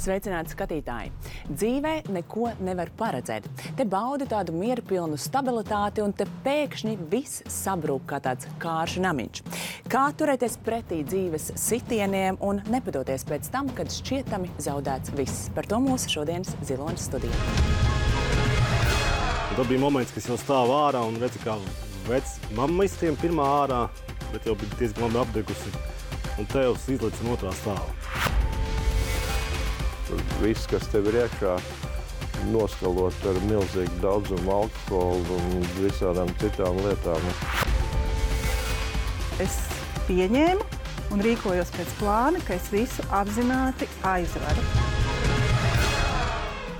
Sveicināti skatītāji! Dzīvē neko nevar paredzēt. Te baudi tādu mierpilnu stabilitāti un te pēkšņi viss sabrūk kā tāds kāršu namiņš. Kā turēties pretī dzīves sitieniem un nepadoties pēc tam, kad šķietami zaudēts viss? Par to mūsu šodienas Ziloņas studijā. Tad bija moments, kad es jau stāvu ārā un redzu, kā mamma iztiem pirmā ārā, bet jau bija diezgan labi apdegusi. Un tēvs izlica no otrā stāva. Viss, kas tev ir iekšā, noskalot ar milzīgu daudzumu alkoholu un visādām citām lietām. Es pieņēmu un rīkojos pēc plāna, ka es visu apzināti aizvaru.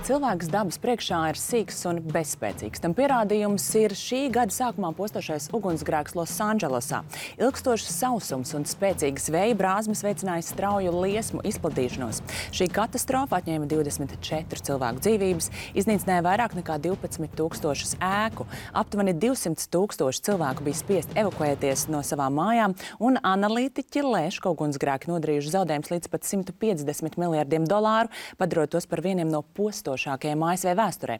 Cilvēks dabas priekšā ir sīks un bezspēcīgs. Tam pierādījums ir šī gada sākumā postošais ugunsgrēks Losandželosā. Ilgstošs sausums un spēcīgas vēja brāzmas veicināja strauju liesmu izplatīšanos. Šī katastrofa atņēma 24 cilvēku dzīvības, iznīcināja vairāk nekā 12,000 ēku. Aptuveni 200,000 cilvēku bija spiest evakuēties no savām mājām, un analītiķi lēš, ka ugunsgrēki nodarījuši zaudējumus līdz pat $150 miljardiem, padarot tos par vieniem no postošākajiem ASV vēsturē.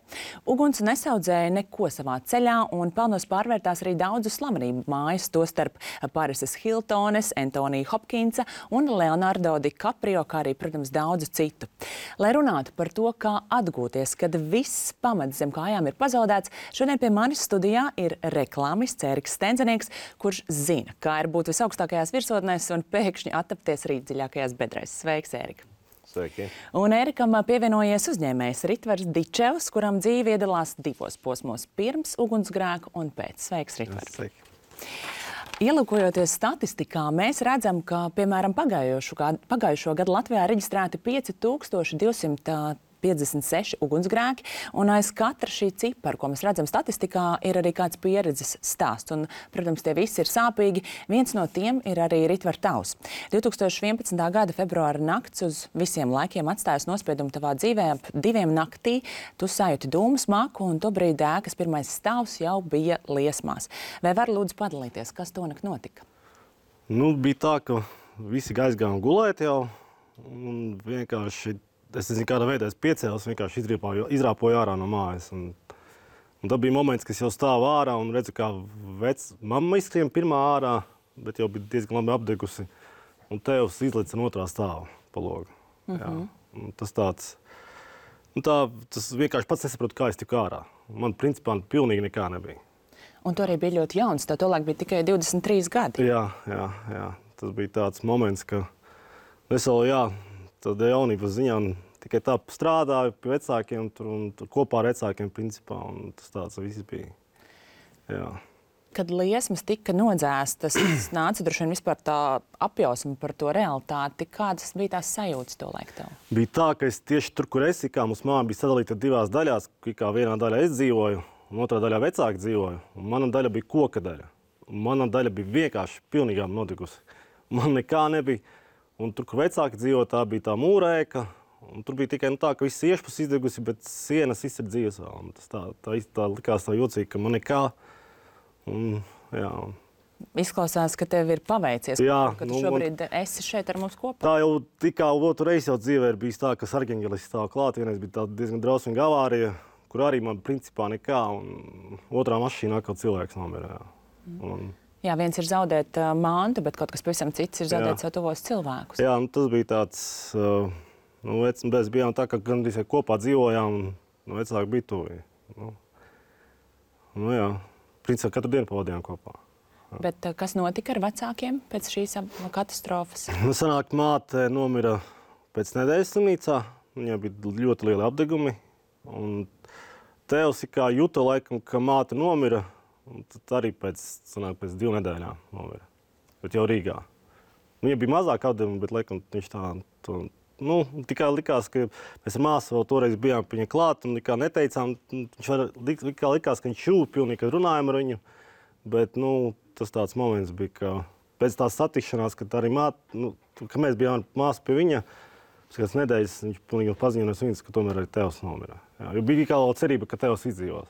Uguns nesaudzēja neko savā ceļā un pelnos pārvērtās arī daudzu slavenību mājas, tostarp Parises Hiltones, Antonija Hopkinsa un Leonardo DiCaprio, kā arī, protams, daudzu citu. Lai runātu par to, kā atgūties, kad viss pamats zem kājām ir pazaudēts, šodien pie manis studijā ir reklāmists Ēriks Stenzenieks, kurš zina, kā ir būt visaugstākajās virsotnēs un pēkšņi attapties rītdziļākajās bedrēs. Sveiks, Ērika! Sveiki. Un Ērikam pievienojies uzņēmējs Ritvars Dičevs, kuram dzīve iedalās divos posmos - pirms ugunsgrēku un pēc. Sveiks, Ritvar! Sveiki. Ielūkojoties statistikā, mēs redzam, ka, piemēram, pagājušo gadu Latvijā reģistrēti 5256 ugunsgrēki, un aiz katra šī cipara, ko mēs redzam statistikā, ir arī kāds pieredzes stāsts. Un, protams, tie visi ir sāpīgi. Viens no tiem ir arī Ritvar tavs. 2011. gada februāra nakts uz visiem laikiem atstājas nospiedumu tavā dzīvē. Ap 2 naktī tu sajūti dūmu smaku, un tobrīd ēkas pirmais stāvs jau bija liesmās. Vai var lūdzu padalīties, kas tonakt notika? Bija tā, ka visi aizgājām gulēt jau, un vienkārši es nezinu, kādā veidā es piecēlos, vienkārši izrāpoju ārā no mājas. Un tad bija moments, kad es jau stāvu ārā un redzu, kā mamma izskrien pirmā ārā, bet jau bija diezgan labi apdegusi. Un tēvs izlica no otrā stāva pa logu. Tas tāds, tas vienkārši pats nesaprotu, kā es tiku ārā. Man principā pilnīgi nekā nebija. Un tu arī biji ļoti jauns, tā tolaik bija tikai 23 gadi. Jā. Tas bija tāds moments, ka es vēl, tad jaunības ziņā tikai tā strādāju pie vecākiem un tur kopā ar vecākiem principā, un tas tāds viss bija. Jā. Kad liesmas tika nodzēstas, nāca droši vien vispār tā apjausma par to realitāti. Kādas bija tās sajūtas to laiku tev? Bija tā, ka es tieši tur, kur es kā mums māja bija sadalīta divās daļās, kā vienā daļā es dzīvoju, un otrā daļā vecāki dzīvoju, un mana daļa bija koka daļa. Un mana daļa bija vienkārši pilnīgām notikusi. Man nekā nebija. Un tur, kur vecāki dzīvo, tā bija tā mūrēka, un tur bija tikai tā, ka viss iešpus izdegusi, bet sienas viss ir dzīves vēl. Tas tā likās tā jocīgi, ka man nekā. Izklausās, ka tev ir paveicies, ka tu šobrīd esi šeit ar mums kopā. Tā jau tikā otru reizi jau dzīvē ir bijis tā, ka sargeņģelis stāv klāt. Vienreiz bija tā diezgan drausmīga avārija, kur arī man principā nekā, un otrā mašīnā kaut cilvēks nomira. Jā, viens ir zaudēt mantu, bet kaut kas pavisam cits ir zaudēt savu tuvos cilvēkus. Jā, tas bija tāds, mēs bijām tā, ka gandrīz kopā dzīvojām, un vecāki bija tuvi. Principā katru dienu pavadījām kopā. Bet kas notika ar vecākiem pēc šīs katastrofas? Sanāk, māte nomira pēc nedēļas slimnīcā, viņai bija ļoti lieli apdegumi, un tēvs kā juta laikam, ka māte nomira. Un tad arī pēc 2 nedēļām nomira, bet jau Rīgā. Viņam bija mazāk apdevumi, bet laikam viņš tikai likās, ka mēs ar māsu vēl toreiz bijām pie viņa klāt un nekā neteicām. Viņš likās, ka viņš šūp pilnīgi, kad runājam ar viņu, bet tas tāds moments bija, ka pēc tās satikšanās, kad arī ka mēs bijām ar māsu pie viņa, pēc nedēļas viņš pilnīgi paziņoja viņas, ka tomēr arī tēvs nomira. Jo bija kā vēl cerība, ka tēvs izdzīvos.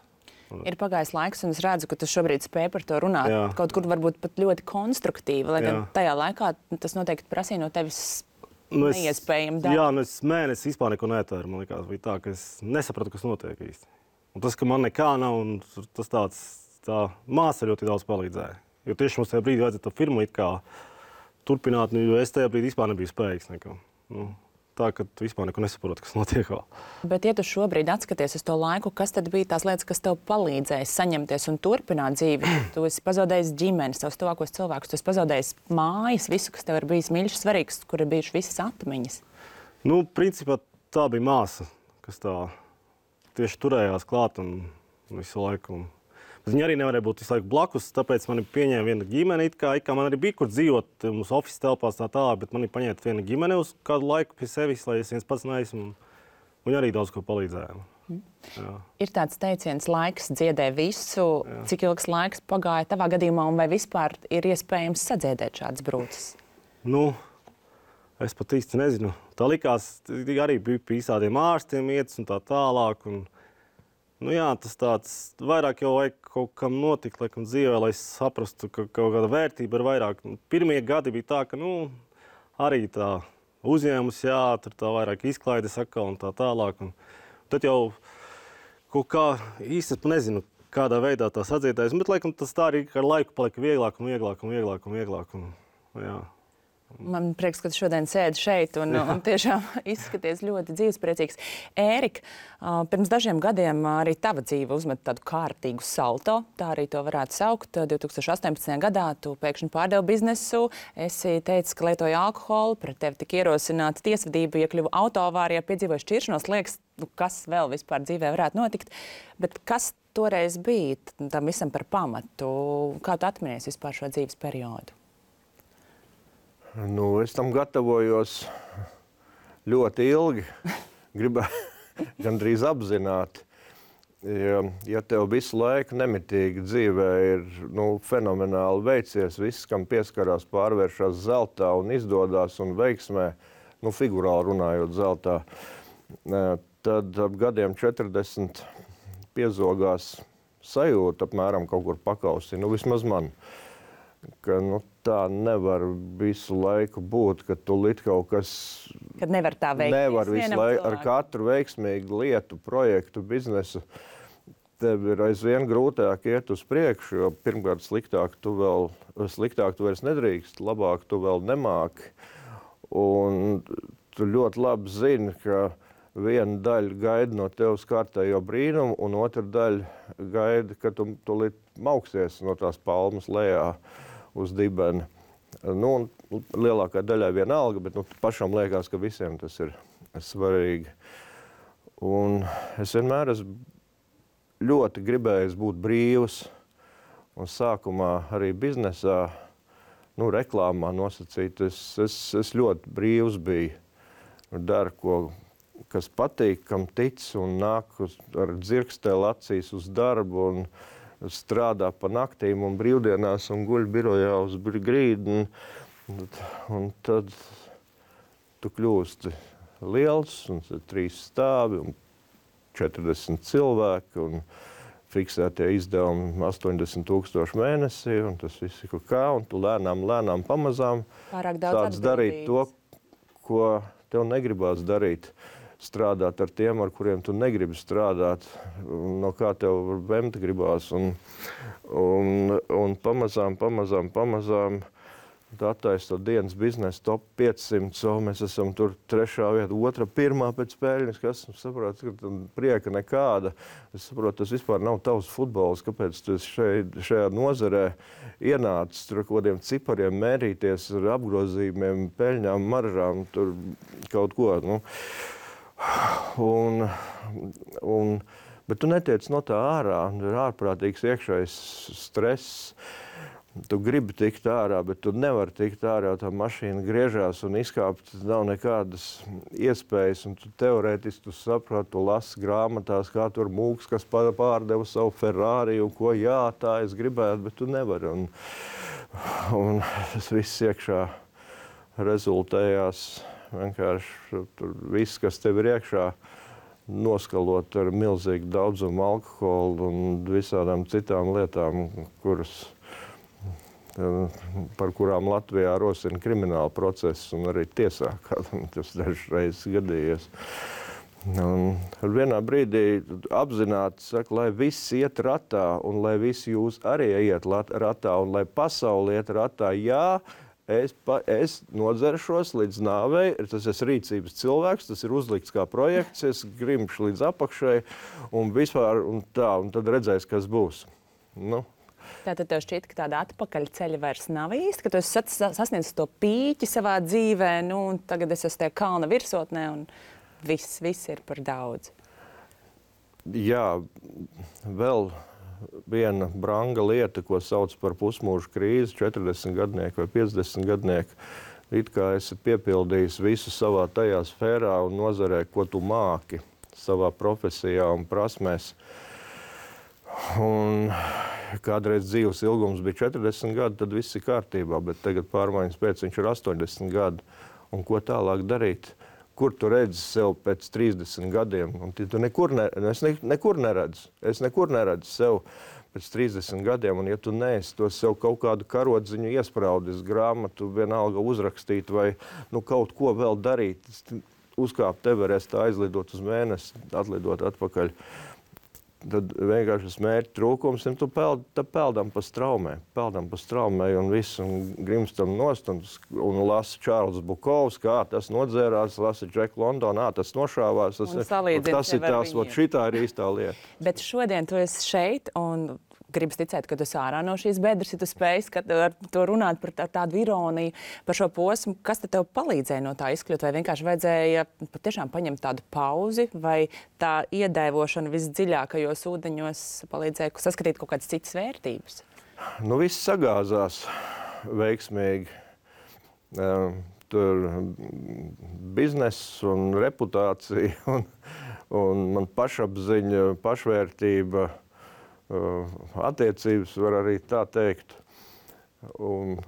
Ir pagājis laiks, un es redzu, ka tu šobrīd spēj par to runāt. Kaut kur varbūt pat ļoti konstruktīvi, lai gan tajā laikā tas noteikti prasīja no tevis neiespējami daudz. Jā, es mēnesi vispār neko netēru. Man likās, bija tā, ka es nesapratu, kas notiek īsti. Un tas, ka man nekā nav, un tas tā māsa ļoti daudz palīdzēja. Jo tieši mums tajā brīdī vajadzēja to firmu it kā turpināt, jo es tajā brīdī vispār nebiju spējīgs neko. Tā, ka tu vispār neko nesaproti, kas notiek vēl. Bet, ja tu šobrīd atskaties uz to laiku, kas tad bija tās lietas, kas tev palīdzēja saņemties un turpināt dzīvi? Tu esi pazaudējis ģimenes, savus tuvākos cilvēkus, tu esi pazaudējis mājas, visu, kas tev ir bijis mīļš, svarīgs, kur ir bijušas visas atmiņas. Principā tā bija māsa, kas tā tieši turējās klāt un visu laiku. Bet viņa arī nevarēja būt visu laiku blakus, tāpēc mani pieņēma viena ģimene, it kā man arī bija kur dzīvot, mums office telpās tā, bet mani paņēma viena ģimene uz kādu laiku pie sevis, lai es viens pats neesmu, un viņa arī daudz ko palīdzēja. Jā. Ir tāds teiciens, laiks dziedē visu, cik ilgs laiks pagāja tavā gadījumā, un vai vispār ir iespējams sadziedēt šādas brūces? Es pat īsti nezinu. Tā likās, arī bija pie visādiem ārstiem ietas un tā tālāk, un tas tāds vairāk jau vajag kaut kam notikt, laikam dzīvē, lai es saprastu, ka kaut kāda vērtība ir vairāk. Pirmie gadi bija tā, ka, arī tā uzņēmus, tur tā vairāk izklaides atkal un tā tālāk. Un tad jau kaut kā īsti nezinu, kādā veidā tā sadziedājas, bet laikam tas tā arī ar laiku palika vieglāk un vieglāk un vieglāk un vieglāk. Man prieks, ka tu šodien sēdi šeit un tiešām izskaties ļoti dzīvespriecīgs. Ērika, pirms dažiem gadiem arī tava dzīve uzmet tādu kārtīgu salto, tā arī to varētu saukt. 2018. gadā tu pēkšņi pārdevi biznesu, esi teicis, ka lietoji alkoholu, pret tevi tika ierosināta tiesvedība, iekļuva autoavārijā, piedzīvoja šķiršanos, liekas, kas vēl vispār dzīvē varētu notikt. Bet kas toreiz bija tam visam par pamatu? Kā tu atminies vispār šo dzīves periodu? Es tam gatavojos ļoti ilgi, gribēju gandrīz apzināti. Ja tev visu laiku nemitīgi dzīvē ir fenomenāli veicies, viss, kam pieskarās, pārvēršas zeltā un izdodās un veiksmē, figurāli runājot zeltā, tad ap gadiem 40 piezogās sajūta apmēram kaut kur pakausi, vismaz man. Ka tā nevar visu laiku būt, ka tu kaut kas... Kad nevar tā veikties. Nevar visu laiku ar katru veiksmīgu lietu, projektu, biznesu. Tev ir aizvien grūtāk iet uz priekšu, jo pirmkārt sliktāk tu vairs nedrīkst, labāk tu vēl nemāki. Un tu ļoti labi zini, ka viena daļa gaida no tevis kārtējo brīnumu, un otra daļa gaida, ka tu tūlīt mauksies no tās palmas lejā uz dibeni. Lielākā daļai vienalga, bet pašam liekas, ka visiem tas ir svarīgi. Un es vienmēr esmu ļoti gribējis būt brīvs. Un sākumā arī biznesā, reklāmā nosacīt, es ļoti brīvs biju. Daru, kas patīk, kam tic un nāk ar dzirkstēli acīs uz darbu un strādā pa naktīm un brīvdienās un guļ birojā uz grīdu. Un tad tu kļūsti liels, un 3 stāvi, un 40 cilvēki, un fiksētie izdevumi 80,000 mēnesī, un tas viss ir kaut kā, un tu lēnām pamazām sāc darīt to, ko tev negribās darīt. Strādāt ar tiem, ar kuriem tu negribi strādāt, no kā tev vemt gribās. Un pamazām attaisa to dienas biznesa top 500, mēs esam tur 3. vieta, 2., 1. pēc peļņas, kas saprot, ka prieka nekāda. Es saprotu, tas vispār nav tavs futbols, kāpēc tu šajā nozarē ienācis tur kodiem cipariem mērīties ar apgrozījumiem, peļņām, maržām, tur kaut ko, bet tu netiec no tā ārā, ir ārprātīgs iekšējs stress. Tu gribi tikt ārā, bet tu nevari tikt ārā, tā mašīna griežās un izkāpt nav nekādas iespējas. Un tu teorētiski tu saproti, tu lasi grāmatās, kā tur mūks, kas pārdeva savu Ferrari un ko tā es gribētu, bet tu nevari. Un tas viss iekšā rezultējās. Vienkārši tur viss, kas tev ir iekšā, noskalot ar milzīgu daudzumu alkoholu un visādām citām lietām, par kurām Latvijā rosina krimināla procesu un arī tiesā, kādam tas dažreiz gadījies. Un vienā brīdī apzināti saka, lai viss iet ratā un lai visi jūs arī iet ratā un lai pasauli iet ratā. Jā, es nodzeršos līdz nāvei, tas ir rīcības cilvēks, tas ir uzlikts kā projekts, es grimšu līdz apakšai un vispār un tā, un tad redzēs, kas būs. Nu. Tātad tev šķiet, ka tāda atpakaļ ceļa vairs nav īsti, ka tu esi sasniedzis to pīķi savā dzīvē, nu, un tagad es esmu tajā kalna virsotnē un viss ir par daudz. Jā, vēl viena branga lieta, ko sauc par pusmūža krīzi, 40 gadnieku vai 50 gadnieku. It kā esi piepildījis visu savā tajā sfērā un nozarē, ko tu māki savā profesijā un prasmēs. Un kādreiz dzīves ilgums bija 40 gadi, tad viss ir kārtībā, bet tagad pārmaiņas pēc viņš ir 80 gadi. Un ko tālāk darīt? Kur tu redzi sev pēc 30 gadiem? Un tu es nekur neredzu. Es nekur neredzu sev pēc 30 gadiem. Un ja tu neesi to sev kaut kādu karodziņu iespraudis, grāmatu vienalga uzrakstīt vai kaut ko vēl darīt, uzkāpt Everestā, aizlidot uz mēnesi, atlidot atpakaļ, tad vienkārši tas mērķa trūkums, un tu peldam pa straumē un viss, un grimstam nost, un lasa Čārls Bukovs, kā tas nodzērās, lasa Džek London, tas nošāvās, tas ir tās, šitā ir īstā lieta. Bet šodien tu esi šeit, un gribas ticēt, ka tu esi ārā no šīs bedres, ja tu spēj ar to runāt par tādu ironiju, par šo posmu. Kas tev palīdzēja no tā izkļūt? Vai vienkārši vajadzēja patiešām paņemt tādu pauzi, vai tā iedēvošana visdziļākajos ūdeņos palīdzēja saskatīt kaut kādas citas vērtības? Nu, viss sagāzās veiksmīgi. Tur bizness un reputācija un man pašapziņa, pašvērtība, attiecības, var arī tā teikt. Un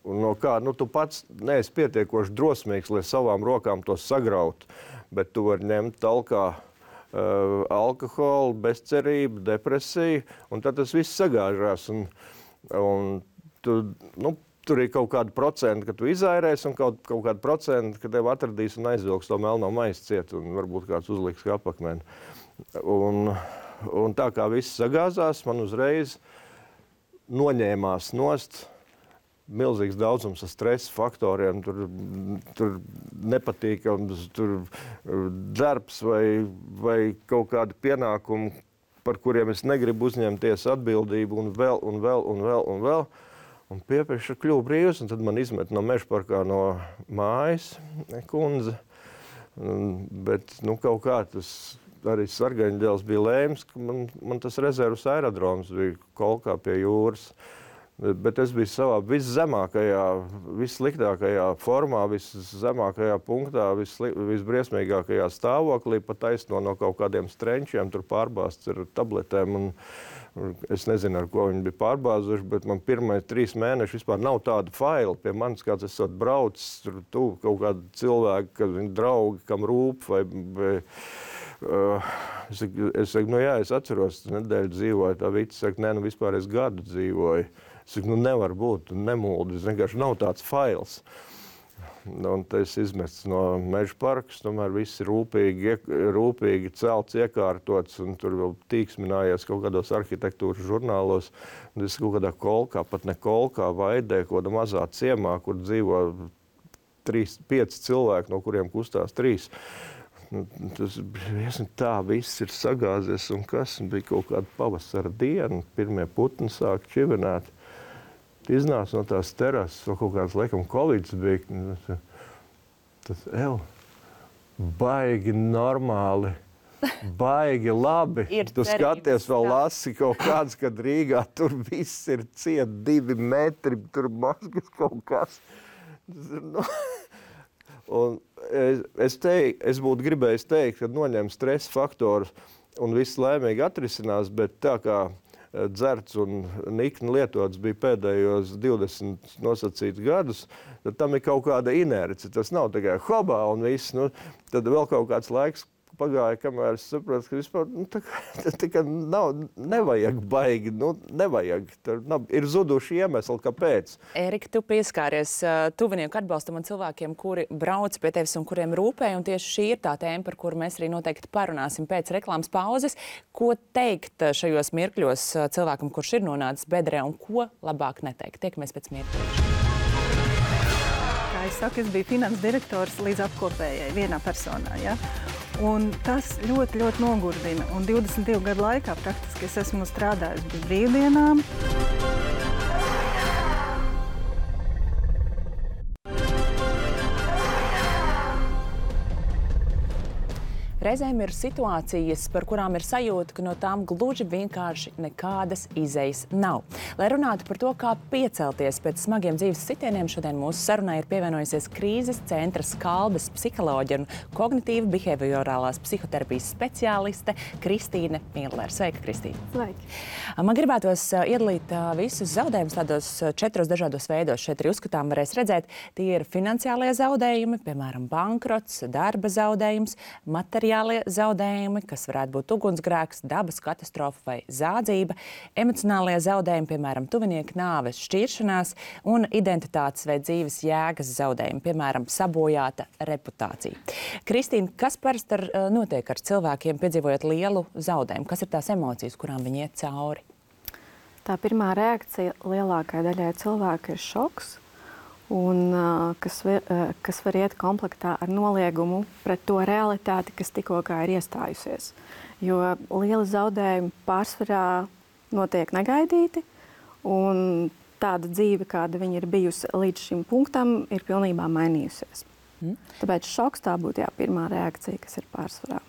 no kā, tu pats neesi pietiekoši drosmīgs, lai savām rokām to sagraut, bet tu vari ņemt talkā alkoholu, bezcerību, depresiju, un tad tas viss sagāžās. Un tur ir kaut kāda procenta, ka tu izairēsi, un kaut kāda procenta, ka tev atradīs un aizvilks to melno maizi ciet, un varbūt kāds uzliks kā apakmeni. Un tā kā viss sagāzās, man uzreiz noņēmās nost milzīgs daudzums ar stresa faktoriem, tur nepatīkams, tur darbs vai kaut kādi pienākumi, par kuriem es negribu uzņemties atbildību, un vēl. Un piepieši kļuvu brīvs, un tad man izmet no mežparkā no mājas kundze. Bet kaut kā tas arī Sargaņģēls bija lēms, ka man tas rezervas aerodroms bija Kolkā pie jūras. Bet es biju savā viszemākajā, vissliktākajā formā, viszemākajā punktā, visbriesmīgākajā stāvoklī, pat taisno no kaut kādiem strenčiem, tur pārbāzts ar tabletēm. Un es nezinu, ar ko viņi bija pārbāzuši, bet man pirmais 3 mēneši vispār nav tāda faila pie manis, kāds esot braucis, tur kaut kādi cilvēki, kad viņi draugi, kam rūp, vai es saku, jā, es atceros, nedēļu dzīvoju, tā vīca saka, vispār es gadu dzīvoju. Es saku, nevar būt, nemuldi, vienkārši nav tāds fails. Un tas izmests no meža parkas, tomēr viss ir rūpīgi celts, iekārtots, un tur vēl tīksminājies kaut kādos arhitektūras žurnālos. Un es kaut kādā Kolkā, pat ne Kolkā, Vaidē, kaut kādā mazā ciemā, kur dzīvo 5 cilvēki, no kuriem kustās 3. Tas tā viss ir sagāzies, un kas bija kaut kāda pavasara diena, pirmie putni sāk čivināt. Iznāca no tās terases, vēl kaut kāds, laikam, Kovids bija. Tas baigi normāli, baigi labi. Tu skaties, vēl lasi kaut kāds, kad Rīgā tur viss ir ciet 2 metri, tur maskas kaut kas. Un es būtu gribējis teikt, ka noņem stresa faktorus un viss laimīgi atrisinās, bet tā kā dzerts un nikni lietots bija pēdējos 20 nosacītus gadus, tad tam ir kaut kāda inerce. Tas nav tikai hobā un viss. Tad vēl kaut kāds laiks pagāja, kamēr es saprotu, ka vispār tā kā nevajag baigi, nevajag. Ir zuduši iemesli, kāpēc. Ērika, tu pieskāries tuvinieku atbalstam un cilvēkiem, kuri brauc pie tevis un kuriem rūpē, un tieši šī ir tā tēma, par kuru mēs arī noteikti parunāsim pēc reklāmas pauzes. Ko teikt šajos mirkļos cilvēkam, kurš ir nonācis bedrē, un ko labāk neteikt? Tiekamies pēc mirkļa. Kā es saku, es biju finanses direktors līdz apkopējai vienā personā. Ja? Un tas ļoti, ļoti nogurdina. Un 22 gadu laikā praktiski es esmu strādājis bez brīvdienām. Reizēm ir situācijas, par kurām ir sajūta, ka no tām gluži vienkārši nekādas izejas nav. Lai runātu par to, kā piecelties pēc smagiem dzīves sitieniem, šodien mūsu sarunai ir pievienojusies krīzes centra Skalbes psiholoģe un kognitīva behaviorālās psihoterapijas speciāliste Kristīne Millere. Sveika, Kristīne! Sveiki! Man gribētos iedalīt visus zaudējumus tādos 4 dažādos veidos. Šeit arī uzskatām varēs redzēt, tie ir finansiālie zaudējumi, piemēram, bankrots, darba zaudējums, materiālie zaudējumi, kas varētu būt ugunsgrēks, dabas katastrofa vai zādzība, emocionālie zaudējumi, piemēram, tuvinieka nāves, šķiršanās un identitātes vai dzīves jēgas zaudējumi, piemēram, sabojāta reputācija. Kristīne, kas parasti notiek ar cilvēkiem, piedzīvojot lielu zaudējumu? Kas ir tās emocijas, kurām viņi iet cauri? Tā pirmā reakcija lielākai daļai cilvēku ir šoks. Un, kas var iet komplektā ar noliegumu pret to realitāti, kas tikko ir iestājusies. Jo lieli zaudējumi pārsvarā notiek negaidīti, un tāda dzīve, kāda viņa ir bijusi līdz šim punktam, ir pilnībā mainījusies. Tāpēc šoks tā būtu pirmā reakcija, kas ir pārsvarā.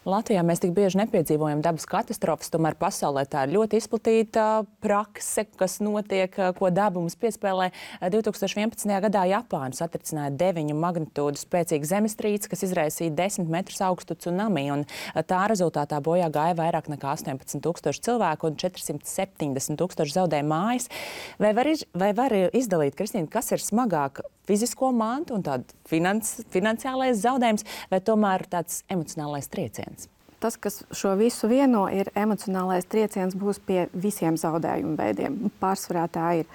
Latvijā mēs tik bieži nepiedzīvojam dabas katastrofas, tomēr pasaulē tā ir ļoti izplatīta prakse, kas notiek, ko daba mums piespēlē. 2011. gadā Japāna satricināja 9 magnitūdu spēcīgu zemestrīci, kas izraisīja 10 metrus augstu tsunami, un tā rezultātā bojā gāja vairāk nekā 18,000 cilvēku un 470,000 zaudēja mājas. Vai var izdalīt, Kristīne, kas ir smagāk? Fizisko mantu un tādu finansiālais zaudējums, vai tomēr tāds emocionālais trieciens? Tas, kas šo visu vieno, ir emocionālais trieciens būs pie visiem zaudējumu veidiem. Pārsvarā tā ir.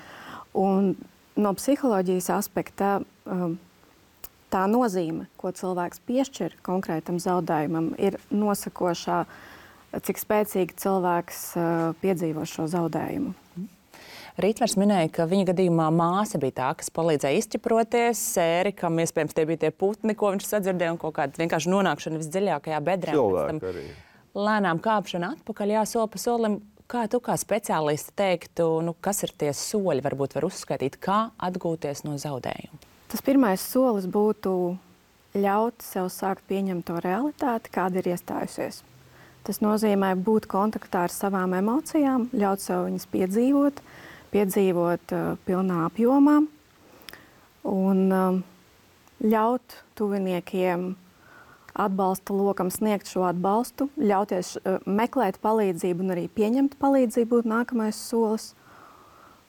Un no psiholoģijas aspekta tā nozīme, ko cilvēks piešķir konkrētam zaudējumam, ir nosakošā, cik spēcīgi cilvēks piedzīvo šo zaudējumu. Rītvars minēja, ka viņa gadījumā māsa bija tā, kas palīdzēja izķiproties. Ērikam, iespējams, tie bija tie putni, ko viņš sadzirdēja, un kaut kāda vienkārši nonākšana visdziļākajā bedrē. Cilvēki arī. Lēnām kāpšana atpakaļ, soli pa solim. Kā tu kā speciālisti teiktu, kas ir tie soļi, varbūt var uzskaitīt, kā atgūties no zaudējuma? Tas pirmais solis būtu ļaut sev sākt pieņemt to realitāti, kāda ir iestājusies. Tas nozīmē būt kontaktā ar savām emocijām, ļaut sev viņas piedzīvot pilnā apjomā un ļaut tuviniekiem atbalsta lokam sniegt šo atbalstu, ļauties meklēt palīdzību un arī pieņemt palīdzību būtu nākamais solis.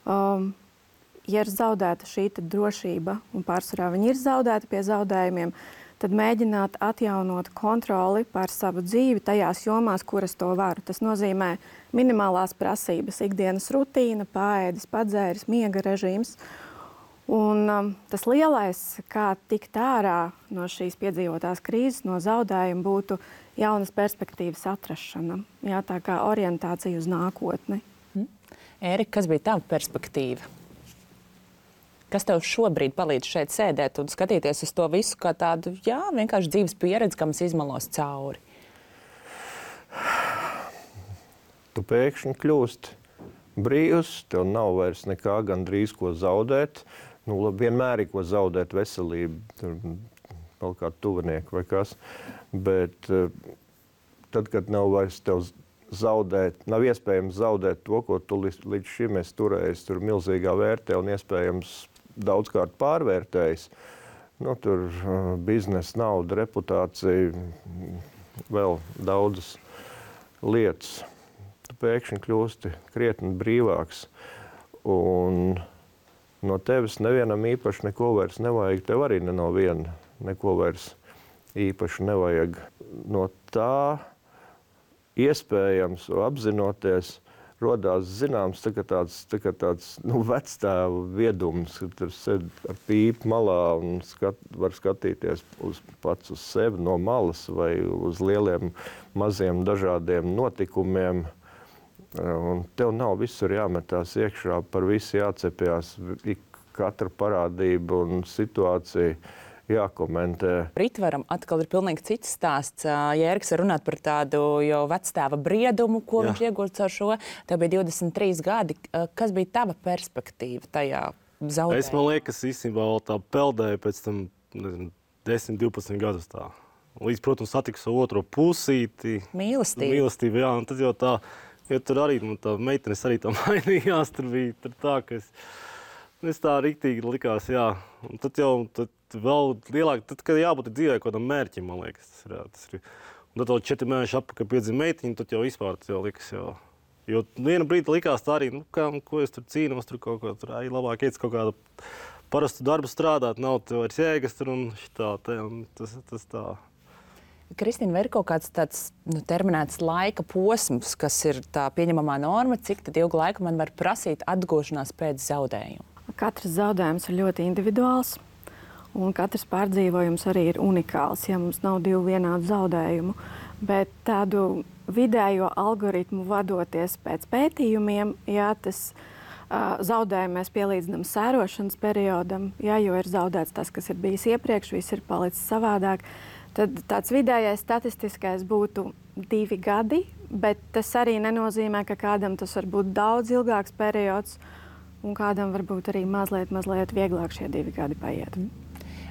Ja ir zaudēta šī drošība, un pārsvarā viņi ir zaudēti pie zaudējumiem, tad mēģināt atjaunot kontroli pār savu dzīvi tajās jomās, kuras to varu. Tas nozīmē minimālās prasības, ikdienas rutīna, paēdis, padzēris, miega režīms. Un tas lielais, kā tikt ārā no šīs piedzīvotās krīzes, no zaudējuma, būtu jaunas perspektīvas atrašana. Jā, tā kā orientācija uz nākotni. Ērika, kas bija tava perspektīva? Kas tev šobrīd palīdz šeit sēdēt un skatīties uz to visu kā tādu, vienkārši dzīves pieredzi, kam es izmalos cauri? Tu pēkšņi kļūst brīvs, tev nav vairs nekā gandrīz ko zaudēt. Vienmēr ir ko zaudēt, veselību, vēl kādu tuvinieku vai kas. Bet tad, kad nav vairs tev zaudēt, nav iespējams zaudēt to, ko tu līdz šim esi turējis, tur milzīgā vērtē un iespējams daudzkārt pārvērtējis. Tur biznesa, nauda, reputācija, vēl daudzas lietas. Tu pēkšņi kļūsti krietni brīvāks. Un no tevis nevienam īpaši neko vairs nevajag. Tev arī no viena neko vairs īpaši nevajag. No tā iespējams apzinoties, rodās zināms tāds vectēva viedums, kad tur sēd ar pīpu malā un var skatīties pats uz sevi no malas vai uz lieliem, maziem dažādiem notikumiem. Un tev nav visur jāmetās iekšā, par visu jācepjās, katra parādība un situācija jākomentē. Ritvaram atkal ir pilnīgi cits stāsts. Jērgs var runāt par tādu jau vectēva briedumu, ko viņš iegūst ar šo. Tev bija 23 gadi. Kas bija tava perspektīva tajā zaudējumā? Es, man liekas, īstenībā vēl tā peldēju pēc tam 10, 12 gadus tā. Līdz, protams, satiku savu otro pusīti. Mīlestība, jā. Un tad jau tā, jo tur arī tā meitenes arī tā mainījās. Tur bija tā, ka es tā riktīgi likās, jā. Un tad jau vēl lielāk, tad, kad jābūt dzīvē kaut kādam mērķim, man liekas, tas ir. Un tad vēl 4 mēneši atpakaļ piedzima meitiņa, tad jau vispār tas jau likas, jo viena brīdi likās tā arī, ko es tur cīnos, tur kaut ko, tur labāk iet kaut kādu parastu darbu strādāt, nav tev vairs jēgas tur un šitā, un tas tā. Kristīna, vai ir kaut kāds tāds terminēts laika posms, kas ir tā pieņemamā norma, cik tad ilgu laiku man var prasīt atgūšanās pēc zaudējuma? Katrs zaudējums ir ļoti individuāls. Un katrs pārdzīvojums arī ir unikāls, ja mums nav 2 vienādu zaudējumu. Bet tādu vidējo algoritmu vadoties pēc pētījumiem, tas zaudējumu mēs pielīdzinām sērošanas periodam, jo ir zaudēts tas, kas ir bijis iepriekš, viss ir palicis savādāk. Tad tāds vidējais statistiskais būtu 2 gadi, bet tas arī nenozīmē, ka kādam tas var būt daudz ilgāks periods, un kādam varbūt arī mazliet vieglāk šie 2 gadi paiet.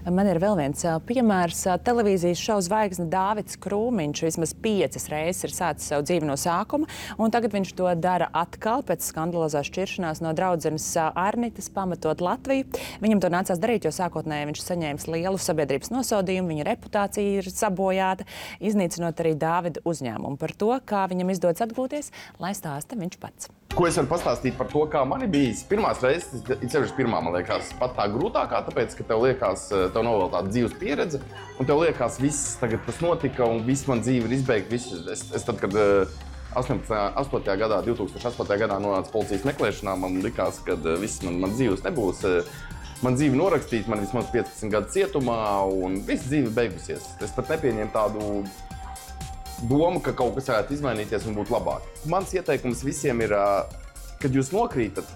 Man ir vēl viens piemērs. Televīzijas šova zvaigzne Dāvids Krūmiņš vismaz 5 reizes ir sācis savu dzīvi no sākuma, un tagad viņš to dara atkal pēc skandalozās šķiršanās no draudzenes Arnitas, pamatot Latviju. Viņam to nācās darīt, jo sākotnēji viņš saņēmis lielu sabiedrības nosodījumu, viņa reputācija ir sabojāta, iznīcinot arī Dāvida uzņēmumu. Par to, kā viņam izdodas atgūties, lai stāsta viņš pats. Ko es varu pastāstīt par to, kā man ir bijis? Pirmās reizes, sevišķi pirmā, man liekas, pat tā grūtākā, tāpēc, ka tev liekas, tev nav vēl tāda dzīves pieredze, un tev liekas, viss tagad tas notika, un viss man dzīve ir izbeigta. Es tad, kad 2008. gadā nonāca policijas meklēšanā, man likās, ka viss man dzīves nebūs. Man dzīve norakstīta, man vismaz 15 gadu cietumā, un viss dzīve beigusies. Es pat nepieņēmu tādu doma, ka kaut kas varētu izmainīties un būt labāk. Mans ieteikums visiem ir, kad jūs nokrītat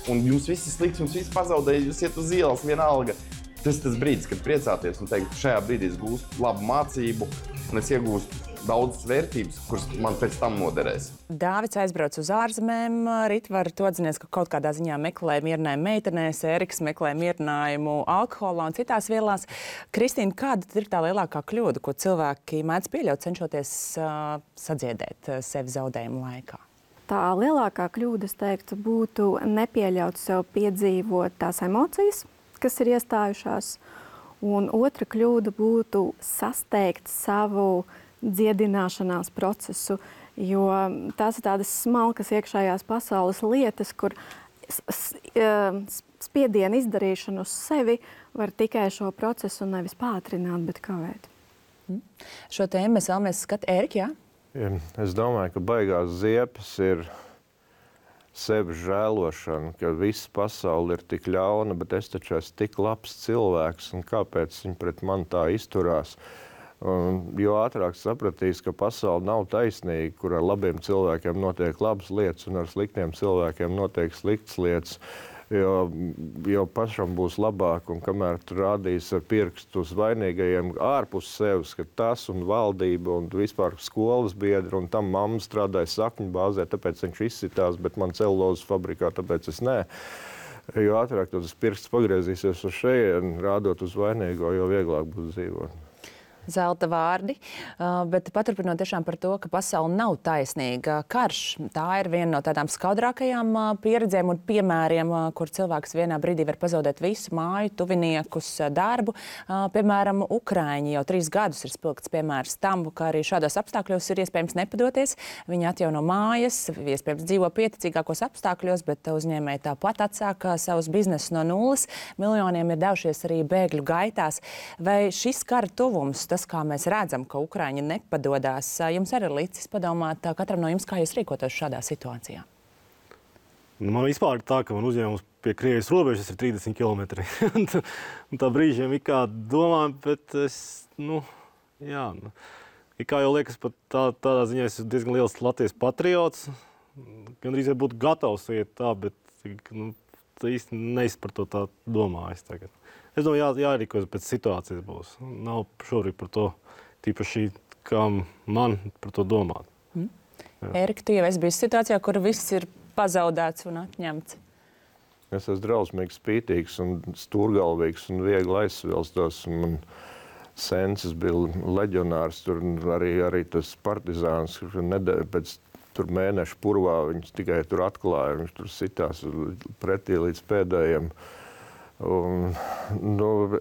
un jums viss ir slikts, jums viss pazaudēja, jūs iet uz ielas vienalga. Tas ir tas brīdis, kad priecāties un teikt, šajā brīdī es gūstu labu mācību un es iegūstu daudzas vērtības, kuras man pēc tam noderēs. Dāvids aizbrauc uz ārzemēm, Ritvar, tu atzinies, ka kaut kādā ziņā meklē mierinājumu meitenēs, Eriks meklē mierinājumu alkoholā un citās vielās. Kristīna, kāda ir tā lielākā kļūda, ko cilvēki mēdz pieļaut, cenšoties sadziedēt sevi zaudējumu laikā? Tā lielākā kļūda, es teiktu, būtu nepieļaut sev piedzīvot tās emocijas, kas ir iestājušās. Un otra kļūda būtu sasteigt savu dziedināšanās procesu, jo tās ir tādas smalkas iekšējās pasaules lietas, kur spiedienu izdarīšanu uz sevi var tikai šo procesu nevis pātrināt, bet kavēt. Šo tēmu mēs vēlamies skatīt. Erika, jā? Es domāju, ka baigās ziepes ir sevi žēlošana, ka visa pasaule ir tik ļauna, bet es taču esmu tik labs cilvēks, un kāpēc viņi pret mani tā izturās? Jo ātrāk sapratīs, ka pasaule nav taisnīga, kur ar labiem cilvēkiem notiek labas lietas un ar sliktiem cilvēkiem notiek sliktas lietas, jo pašam būs labāk, un kamēr tu rādīs ar pirkstu uz vainīgajiem ārpus sevis, ka tas un valdība un vispār skolas biedri un tam mamma strādāja sakņu bāzē, tāpēc viņš izsitās, bet man celulozes fabrikā, tāpēc es nē. Jo ātrāk tas pirksts pagriezīsies uz šejienu, rādot uz vainīgo, jo vieglāk būs dzīvot. Zelta vārdi, bet paturpinot tiešām par to, ka pasaule nav taisnīga. Karš, tā ir viena no tādām skaudrākajām pieredzēm un piemēriem, kur cilvēks vienā brīdī var pazaudēt visu māju, tuviniekus, darbu. Piemēram, Ukraiņi jau 3 gadus ir spilgts piemērs tam, ka arī šādos apstākļos ir iespējams nepadoties. Viņi atjauno mājas, iespējams dzīvo pieticīgākos apstākļos, bet uzņēmēji tāpat atsāka savus biznesus no nulles. Miljoniem ir devušies arī bēgļu gaitās. Vai šis kara tuvums tas, kā mēs redzam, ka Ukraiņi nepadodās, jums arī ir licis padomāt katram no jums, kā jūs rīkotos šādā situācijā? Man vispār ir tā, ka man uzņēmums pie Krievijas robežas ir 30 km. un tā brīžiem ir kā domā, bet es, ir kā jau liekas, pat tādā ziņā es esmu diezgan liels Latvijas patriots. Gandrīz būtu gatavs iet tā, bet tā īsti neesmu par to tā domājis tagad. Es domāju, jārīkojas pēc situācijas būs. Nav šobrīd par to tīpaši, kā man par to domāt. Ērika, tu jau esi bijis situācijā, kur viss ir pazaudēts un atņemts. Es esmu drausmīgi spītīgs un stūrgalvīgs un viegli aizsvilstos. Man sensis bija leģionārs, tur arī tas partizāns, pēc tur mēneša purvā viņus tikai tur atklāja, viņš tur sitās pretī līdz pēdējiem. Un,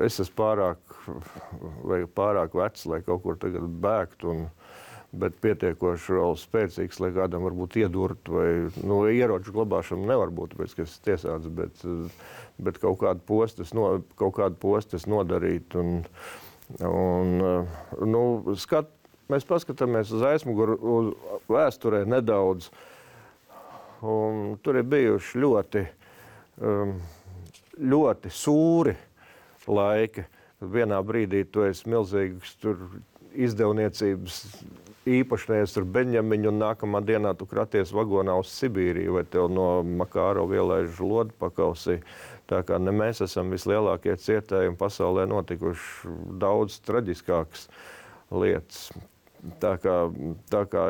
es esmu pārāk vecs, lai kaut kur tagad bēgt, bet pietiekoši vēl spēcīgs, lai kādam varbūt iedurt, vai ieroču glabāšana nevar būt, pēc, ka es tiesāts, bet kaut kādu postes nodarīt. Mēs paskatāmies uz aizmuguru, uz vēsturē nedaudz, un tur ir bijuši ļoti sūri laiki. Vienā brīdī tu esi milzīgs izdevniecības īpašnieks, tur Beņģamiņu, un nākamā dienā tu kraties vagonā uz Sibīriju, vai tev no Makārova ielaiž lodi pakausī. Tā kā ne mēs esam vislielākie cietējumi, pasaulē notikuši daudz traģiskākas lietas. Tā kā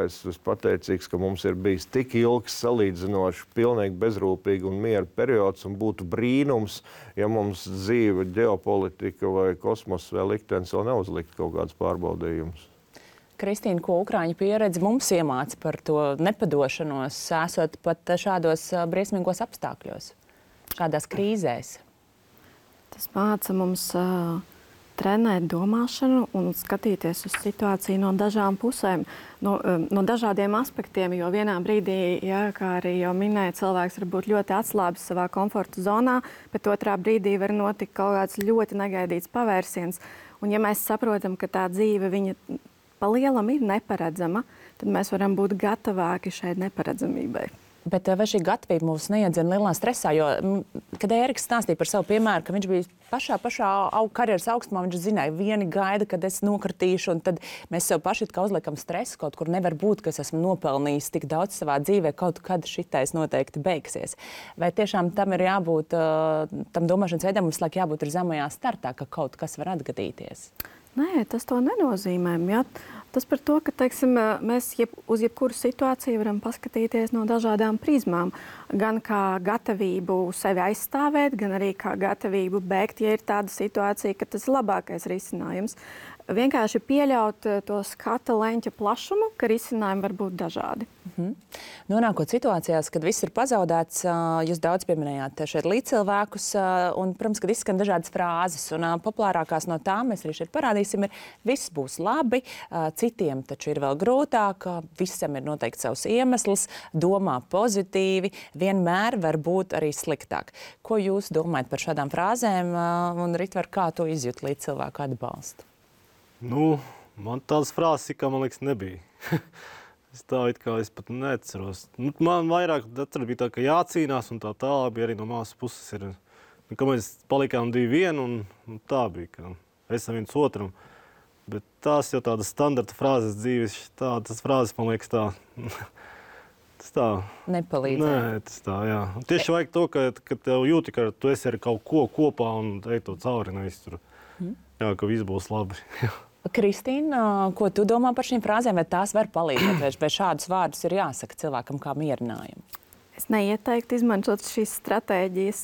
es esmu pateicīgs, ka mums ir bijis tik ilgs, salīdzinoši, pilnīgi bezrūpīgi un miera periods, un būtu brīnums, ja mums dzīve, ģeopolitika vai kosmos vai liktenis vēl neuzlikt kaut kāds pārbaudījums. Kristīna, ko Ukraiņu pieredze mums iemāca par to nepadošanos, esot pat šādos briesmīgos apstākļos, šādās krīzēs? Tas māca mums trenēt domāšanu un skatīties uz situāciju no dažām pusēm, no dažādiem aspektiem, jo vienā brīdī, kā arī jau minēja, cilvēks var būt ļoti atslābis savā komforta zonā, bet otrā brīdī var notikt kaut kāds ļoti negaidīts pavērsiens. Un ja mēs saprotam, ka tā dzīve viņa pa lielam ir neparedzama, tad mēs varam būt gatavāki šai neparedzamībai. Bet vai šī gatavība mūs neiedzina lielā stresā? Jo, kad Ēriks stāstīja par savu piemēru, ka viņš bija pašā karjeras augstumā, viņš zināja, vieni gaida, kad es nokritīšu, un tad mēs sev paši uzliekam stresu, kaut kur nevar būt, ka es esmu nopelnījis tik daudz savā dzīvē, kaut kad šitais noteikti beigsies. Vai tiešām tam ir jābūt, tam domāšanas veidam mums laik jābūt ir zemajā startā, ka kaut kas var atgadīties? Nē, tas to nenozīmē. Ja? Tas par to, ka teiksim, mēs uz jebkuru situāciju varam paskatīties no dažādām prizmām. Gan kā gatavību sevi aizstāvēt, gan arī kā gatavību bēgt, ja ir tāda situācija, ka tas ir labākais risinājums. Vienkārši pieļaut to skata leņķa plašumu, ka risinājumi var būt dažādi. Nonākot situācijās, kad viss ir pazaudēts, jūs daudz pieminējāt šeit līdzcilvēkus, un, protams, kad izskan dažādas frāzes, un populārākās no tām mēs arī šeit parādīsim, viss būs labi, citiem taču ir vēl grūtāk, visam ir noteikti savs iemesls, domā pozitīvi, vienmēr var būt arī sliktāk. Ko jūs domājat par šādām frāzēm, un Ritvar, kā to izjūt līdzcilvēku atbalstu? Man tādas frāzes, kā man liekas, nebija. Es pat neatceros. Man vairāk bija tā, ka jācīnās, un tā tālāk bija arī no māsas puses. Ka mēs palikām 2-1, un tā bija, ka esam viens otram. Bet tās jau tādas standarta frāzes dzīves, tas frāzes, man liekas, tā. Tas tā. Nepalīdz. Nē, tas tā, jā. Un tieši vajag to, ka tev jūti, ka tu esi ar kaut ko kopā un ej to cauri, nevis tur. Jā, ka viss būs labi. Kristīna, ko tu domā par šīm frāzēm? Vai tās var palīdzēt, vai šādus vārdus ir jāsaka cilvēkam kā mierinājumu? Es neieteiktu izmantot šīs stratēģijas,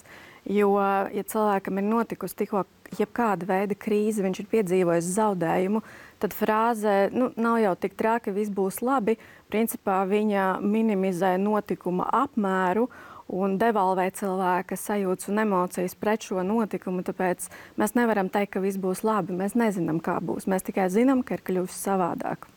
jo, ja cilvēkam ir notikusi tikko jebkāda veida krīze, viņš ir piedzīvojis zaudējumu, tad frāze nav jau tik traki, viss būs labi. Principā viņa minimizē notikuma apmēru un devalvē cilvēka sajūtas un emocijas pret šo notikumu. Tāpēc mēs nevaram teikt, ka viss būs labi. Mēs nezinām, kā būs. Mēs tikai zinām, ka ir kļuvis savādāk.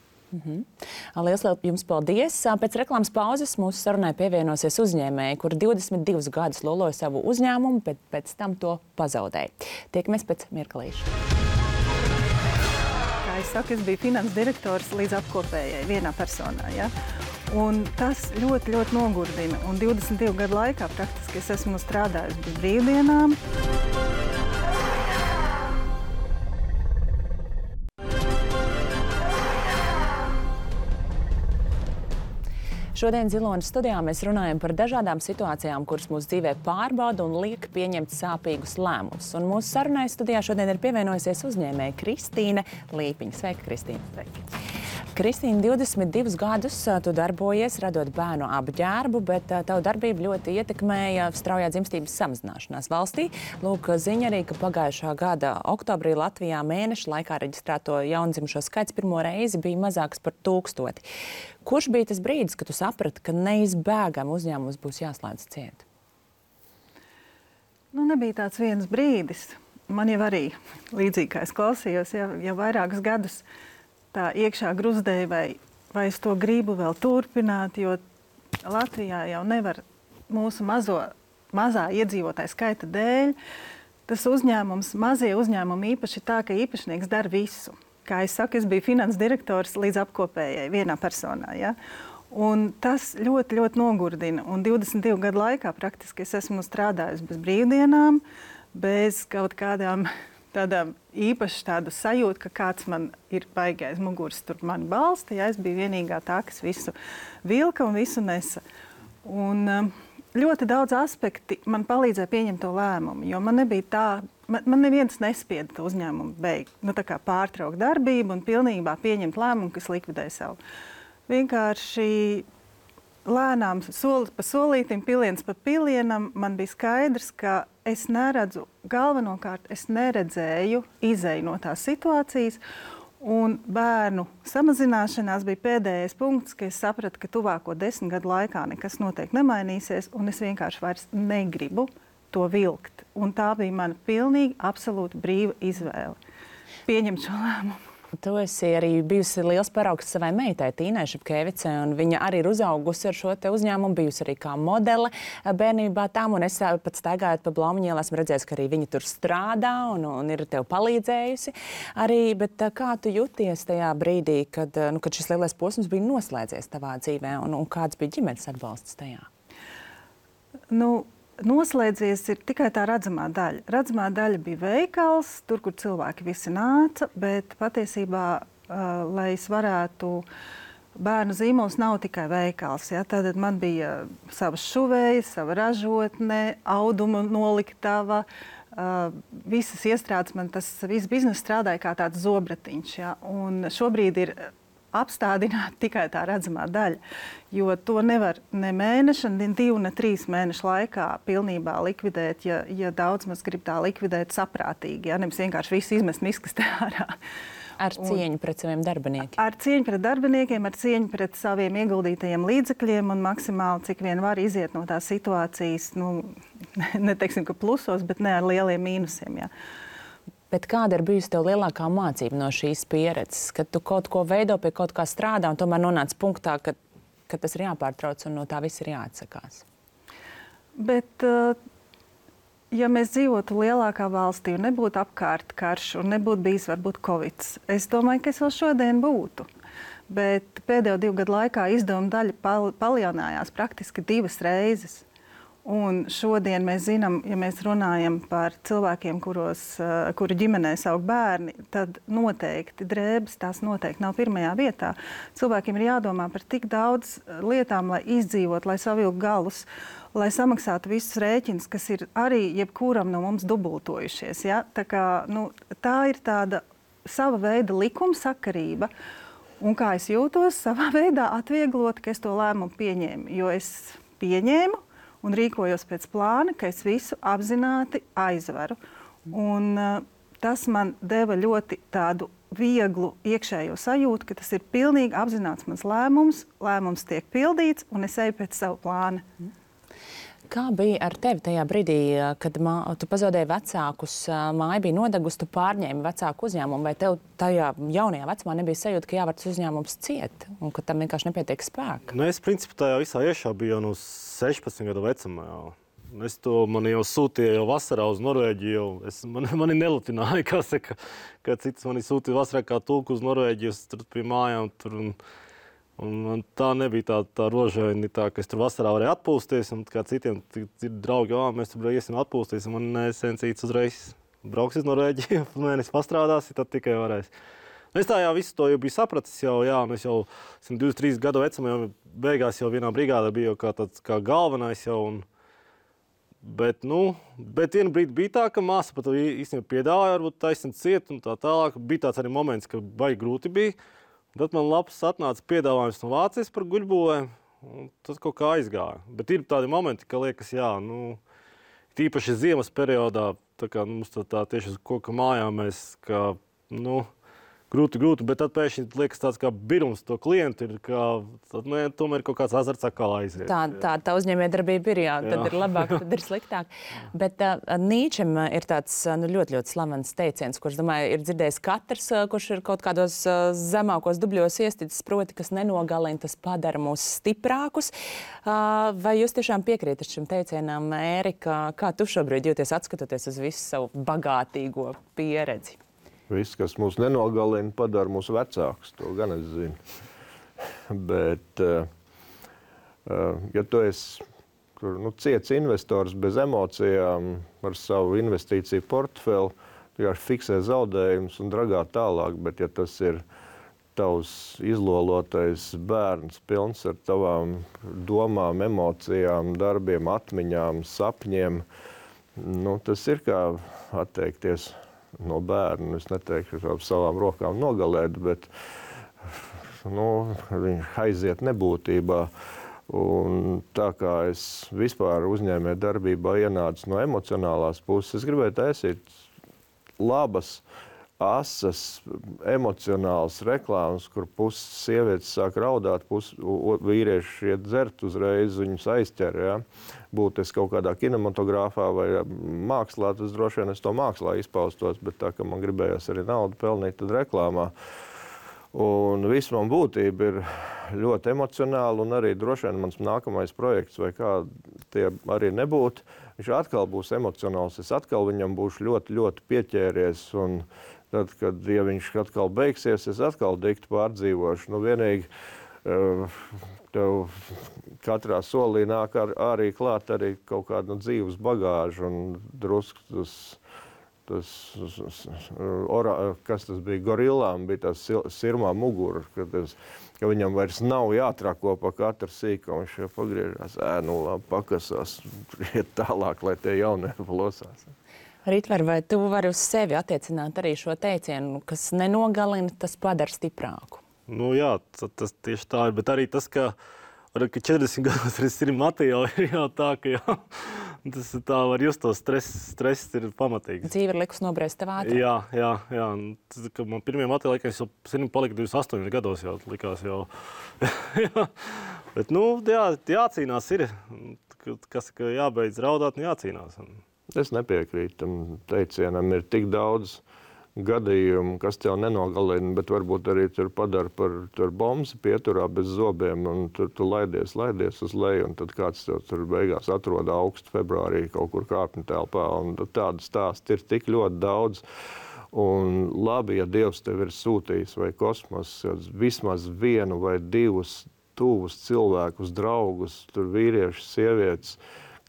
Lielas jums paldies. Pēc reklāmas pauzes mūsu sarunai pievienosies uzņēmēji, kuri 22 gadus loloja savu uzņēmumu, bet pēc tam to pazaudēja. Tiekamies pēc mirklīša. Kā Kā es saku, es biju finanses direktors līdz apkopējai vienā personā. Ja? Un tas ļoti, ļoti nogurdina. Un 22 gadu laikā praktiski es esmu strādājusi bez brīvdienām. Šodien Zilonas studijā mēs runājam par dažādām situācijām, kuras mūsu dzīvē pārbauda un liek pieņemt sāpīgus lēmumus. Un mūsu sarunai studijā šodien ir pievienojusies uzņēmēja Kristīne Līpiņa. Sveika, Kristīne! Sveiki. Kristīne, 22 gadus tu darbojies, radot bērnu apģērbu, bet tavu darbību ļoti ietekmēja straujā dzimstības samazināšanās valstī. Lūk, ziņa arī, ka pagājušā gada oktobrī Latvijā mēneša laikā reģistrēto jaundzimušo skaits pirmo reizi bija mazāks par 1000. Kurš bija tas brīdis, kad tu saprati, ka neizbēgami uzņēmums būs jāslēdz ciet? Nebija tāds viens brīdis. Man jau arī līdzīgi, kā es klausījos, jau vairākus gadus tā iekšā gruzdēja, vai es to gribu vēl turpināt, jo Latvijā jau nevar mūsu mazā iedzīvotāja skaita dēļ. Tas uzņēmums, mazie uzņēmumi īpaši tā, ka īpašnieks dara visu. Kā es saku, es biju finanses direktors līdz apkopējai vienā personā. Ja? Un tas ļoti, ļoti nogurdina. Un 22 gadu laikā praktiski es esmu strādājusi bez brīvdienām, bez kaut kādām tādām īpaši tādu sajūtu, ka kāds man ir baigais muguras tur mani balsta. Ja? Es biju vienīgā tā, kas visu vilka un visu nesa. Un ļoti daudz aspekti man palīdzēja pieņemt to lēmumu, jo man nebija tā, man neviens nespieda to uzņēmumu beigt, pārtraukt darbību un pilnībā pieņemt lēmumu, kas likvidē savu. Vienkārši lēnām, soli pa solītim, piliens pa pilienam, man bija skaidrs, ka es neredzu, galvenokārt es neredzēju izēju no tās situācijas, un bērnu samazināšanās bija pēdējais punkts, ka es sapratu, ka tuvāko 10 gadu laikā nekas noteikti nemainīsies, un es vienkārši vairs negribu to vilkt. Un tā bija mana pilnīgi, absolūti brīva izvēle pieņemt šo lēmumu. Tu esi arī bijusi liels paraugs savai meitai, Tīnai Šepkevicai, un viņa arī ir uzaugusi ar šo te uzņēmumu, bijusi arī kā modele bērnībā tam, un es pat staigājot pa Blaumaņielu esmu redzējusi, ka arī viņa tur strādā un ir tev palīdzējusi arī, bet kā tu jūties tajā brīdī, kad šis lielais posms bija noslēdzies tavā dzīvē, un kāds bija ģimenes atbalsts tajā? Noslēdzies ir tikai tā redzamā daļa. Redzamā daļa bija veikals, tur, kur cilvēki visi nāca, bet patiesībā, lai es varētu, bērnu zīmols nav tikai veikals. Ja? Tad man bija savas šuvējas, sava ražotne, auduma noliktava, visas iestrādes, man tas viss bizness strādāja kā tāds zobratiņš. Ja? Un šobrīd ir apstādināt tikai tā redzamā daļa, jo to nevar ne mēneša, ne 2, ne 3 mēnešu laikā pilnībā likvidēt, ja daudz maz grib tā likvidēt saprātīgi, ja nevis vienkārši visu izmest miskastē ārā. Ar cieņu pret saviem darbiniekiem? Ar cieņu pret darbiniekiem, ar cieņu pret saviem ieguldītajiem līdzekļiem un maksimāli, cik vien var iziet no tās situācijas, neteiksim, ka plusos, bet ne ar lieliem mīnusiem, ja. Bet kāda ir bijusi tev lielākā mācība no šīs pieredzes, kad tu kaut ko veido, pie kaut kā strādā un tomēr nonāc punktā, ka tas ir jāpārtrauc un no tā viss ir jāatsakās? Bet, ja mēs dzīvotu lielākā valstī un nebūtu apkārt karš un nebūtu bijis varbūt Covid, es domāju, ka es vēl šodien būtu. Bet pēdējo 2 gadu laikā izdevuma daļa palielinājās praktiski 2 reizes. Un šodien mēs zinām, ja mēs runājam par cilvēkiem, kuru ģimenē aug bērni, tad noteikti drēbes tās noteikti nav pirmajā vietā. Cilvēkiem ir jādomā par tik daudz lietām, lai izdzīvot, lai savilkt galus, lai samaksātu visus rēķinus, kas ir arī jebkuram no mums dubultojušies. Ja? Tā kā, tā ir tāda sava veida likumsakarība. Un kā es jūtos, savā veidā atvieglot, ka es to lēmumu pieņēmu. Jo es pieņēmu un rīkojos pēc plāna, ka es visu apzināti aizveru. Un tas man deva ļoti tādu vieglu iekšējo sajūtu, ka tas ir pilnīgi apzināts mans lēmums tiek pildīts un es eju pēc savu plānu. Kā bija ar tevi tajā brīdī, kad tu pazaudēji vecākus, māja bija nodegusi, tu pārņēmi vecāku uzņēmumu, vai tev tajā jaunajā vecumā nebija sajūta, ka jāvar tas uzņēmums ciet un ka tam vienkārši nepietiek spēka? Es principā tajā visā iešā biju jau no 16 gadu vecumā. Es to man jau sūtīju jau vasarā uz Norvēģiju. Mani nelutināja, kā saka, ka cits mani sūtīja vasarā kā tulku uz Norvēģiju, tur pie mājām. Un tā nebija tā rožaini, tā, ka es tur vasarā varēju atpūsties, un kā citiem draugi, mēs tur iesim atpūsties, un man Sensīts uzreiz brauks uz Norvēģiju, mēnesi pastrādās, tad tikai varēs. Es tā visu to jau biju sapratis, un es jau 23 gadu vecumā, jau beigās jau vienā brigādā biju kā galvenais jau. Bet vienu brīdi bija tā, ka māsa pat īstenībā piedāvāja, varbūt taisnīt ciet un tā tālāk. Bija tāds arī moments, ka baigi grūti bija. Tad man labs atnāca piedāvājums no Vācijas par guļbūvēm, un tad kaut kā aizgāja. Bet ir tādi momenti, ka liekas, tīpaši ziemas periodā, tā kā mums tā tieši uz koka mājām mēs, grūti, bet tad pēkšņi liekas tāds kā birums to klientu ir, tomēr kaut kāds azarts atkal aiziet. Tā uzņēmējdarbība ir, tad ir labāk, tad ir sliktāk. Bet Nīčem ir tāds ļoti, ļoti slavens teiciens, kurš, domāju, ir dzirdējis katrs, kurš ir kaut kādos zemākos dubļos iesticis, proti, kas nenogalina, tas padara mūs stiprākus. Vai jūs tiešām piekrītat šim teicienam, Ērika? Kā tu šobrīd jūties atskatoties uz visu savu bagātīgo pieredzi? Viss, kas mūs nenogalina, padara mūs vecākus. To gan es zinu. Bet, ja tu esi ciets investors bez emocijām ar savu investīciju portfeli, tu jau fiksē zaudējumus un dragā tālāk. Bet, ja tas ir tavs izlolotais bērns, pilns ar tavām domām, emocijām, darbiem, atmiņām, sapņiem, tas ir kā atteikties no bērna. Es neteiktu, ka savām rokām nogalēt, bet viņi aiziet nebūtībā. Un tā kā es vispār uzņēmē darbībā ienācu no emocionālās puses, es gribēju taisīt labas, asas, emocionālas reklāmas, kur puses sievietes sāk raudāt, vīrieši iet dzert uzreiz, viņus aizķer. Ja? Būtu es kaut kādā kinematogrāfā vai mākslā, tas droši vien es to mākslā izpaustos, bet tā, ka man gribējās arī naudu pelnīt, tad reklāmā. Un viss man būtība ir ļoti emocionāli, un arī droši vien mans nākamais projekts, vai kā tie arī nebūtu, viņš atkal būs emocionāls, es atkal viņam būšu ļoti, ļoti pieķēries, un tad, ja viņš atkal beigsies, es atkal dikti pārdzīvošu. Vienīgi tev katrā solī nāk arī klāt arī kaut kādu dzīves bagāžu un drusku kas tas bija, gorillām bija tas sirmā mugura, ka viņam vairs nav jātrako pa katru sīku, viņš jau pagriežās, labi, pakasās, iet tālāk, lai tie jaunieši plosās. Ritvar, vai tu vari uz sevi attiecināt arī šo teicienu, kas nenogalina, tas padara stiprāku? Jā, tas tieši tā ir, bet arī tas, ka 40 gados ir materiāli, ir jau tā, ka tas tā var just to stress ir pamatīgs. Dzīve ir likus nobriest tev ātrāk. Jā. Man pirmie materiāli, es jau sirmi palika 28 gados jau likās jau. Bet, jācīnās ir, kas jābeidz raudāt, jācīnās. Es nepiekrītu tam teicienam, ir tik daudz gadījumu, kas tev nenogalina, bet varbūt arī tur padara par bombsi pieturā bez zobiem, un tu laidies uz leju, un tad kāds tev tur beigās atrod augstu februārī kaut kur kāpņu telpā, un tādu stāstu ir tik ļoti daudz. Un labi, ja Dievs tev ir sūtījis vai kosmos, vismaz vienu vai divus tuvus cilvēkus, draugus, tur vīriešus, sievietes,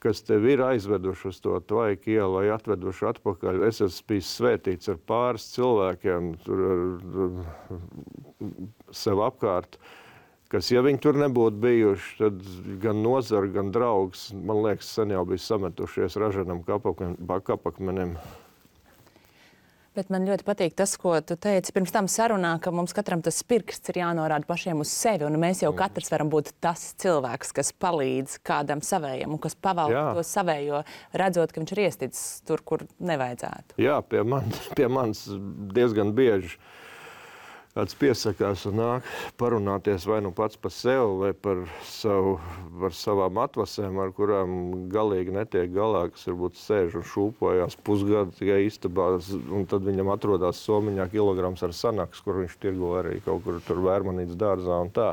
kas tev ir aizveduši uz to Tvaiku ielu vai atveduši atpakaļ. Es esmu bijis svētīts ar pāris cilvēkiem tur sev apkārt, kas, ja viņi tur nebūtu bijuši, tad gan nozara, gan draugs, man liekas, sen jau bija sametušies ražanam kapakmenim. Bet man ļoti patīk tas, ko tu teici pirms tam sarunā, ka mums katram tas pirksts ir jānorāda pašiem uz sevi, un mēs jau katrs varam būt tas cilvēks, kas palīdz kādam savējam un kas pavalda to savējo, redzot, ka viņš ir iesticis tur, kur nevajadzētu. Jā, pie manis diezgan bieži kāds piesakās un nāk parunāties vai nu pats par sevi, vai par savām atvasēm, ar kurām galīgi netiek galā, kas varbūt sēž un šūpojās pusgadu tikai istabā, un tad viņam atrodās somiņā kilograms ar sanaks, kur viņš tirgo arī kaut kur tur Vērmanītes dārzā un tā.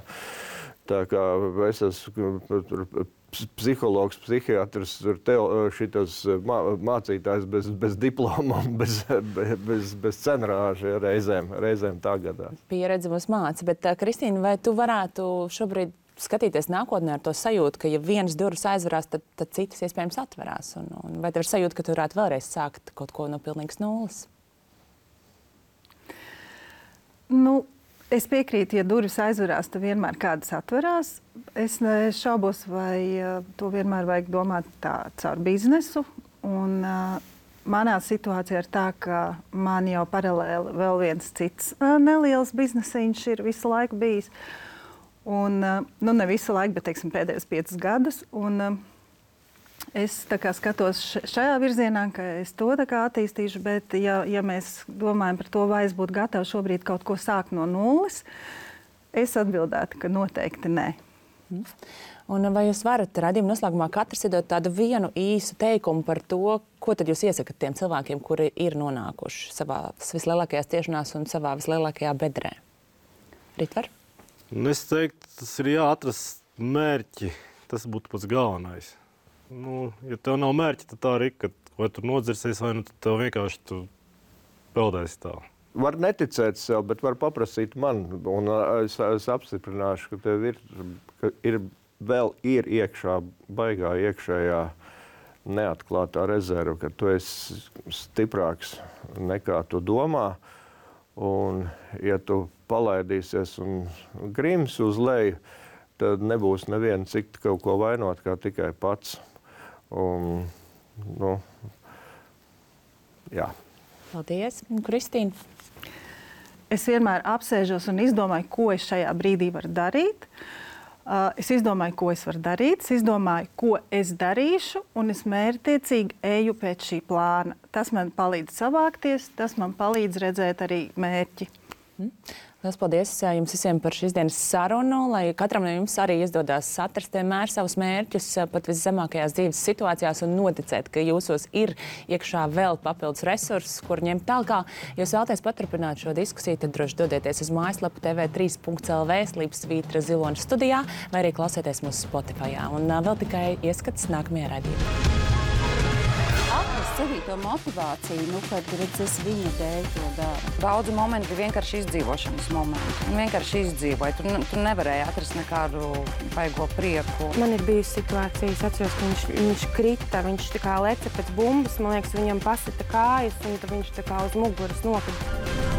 Tā kā es esmu psihologs, psihiatrs, šitas mācītājs bez diplomām, bez cenrāža reizēm tā gadās. Pieredze mums māca, bet Kristīna, vai tu varētu šobrīd skatīties nākotnē ar to sajūtu, ka ja vienas durvis aizverās, tad citas iespējams atverās? Un vai tev ir sajūta, ka tu varētu vēlreiz sākt kaut ko no pilnīgas nulles? Nu, es piekrītu, ja durvis aizverās, tad vienmēr kādas atverās. Es šaubos, vai to vienmēr vajag domāt tā caur biznesu. Un, manā situācijā ir tā, ka man jau paralēli vēl viens cits neliels biznesiņš ir visu laiku bijis. Un, nu, ne visu laiku, bet teiksim, pēdējos 5 gadus. Un, es tā kā skatos šajā virzienā, ka es to tā kā attīstīšu, bet ja mēs domājam par to, vai es būtu gatava šobrīd kaut ko sākt no nulles, es atbildētu, ka noteikti nē. Un vai jūs varat raidījuma noslēgumā katrs iedot tādu vienu īsu teikumu par to, ko tad jūs iesakat tiem cilvēkiem, kuri ir nonākuši savā vislielākajās ciešanās un savā vislielākajā bedrē? Ritvar? Es teiktu, tas ir jāatrast mērķi. Tas būtu pats galvenais. Nu, ja tev nav mērķi, tad tā arī, ka vai tu nodzirsies, vai nu tev vienkārši peldēsi tā. Var neticēt sev, bet var paprasīt man, un es apstiprināšu, ka tev vēl ir iekšā, baigā iekšējā neatklātā rezerve, ka tu esi stiprāks nekā tu domā, un ja tu palaidīsies un grims uz leju, tad nebūs neviena cik kaut ko vainot, kā tikai pats. Un, nu, jā. Paldies. Kristīna? Es vienmēr apsēžos un izdomāju, ko es šajā brīdī varu darīt. Es izdomāju, ko es varu darīt, es izdomāju, ko es darīšu, un es mērķtiecīgi eju pēc šī plāna. Tas man palīdz savākties, tas man palīdz redzēt arī mērķi. Lielas paldies jums visiem par šīs dienas sarunu, lai katram no jums arī izdodās atrast vienmēr savus mērķus pat viszemākajās dzīves situācijās un noticēt, ka jūsos ir iekšā vēl papildus resursus, kur ņemt tālāk. Ja jūs vēlaties paturpināt šo diskusiju, tad droši dodieties uz mājaslapu tv3.lv /Svītra Ziloņa studijā vai arī klausieties mūsu Spotifyā. Un vēl tikai ieskats nākamajā raidījumā. Atrast sevī to motivāciju, kad redzes viņa dēļ to dara. Daudzi momenti bija vienkārši izdzīvošanas momenti. Un vienkārši izdzīvoja. Tu nevarēji atrast nekādu baigo prieku. Man ir bijusi situācijas, atceros, ka viņš krita, viņš tā kā leca pēc bumbas, man liekas, viņam pasita kājas, un viņš tā kā uz muguras nokrita.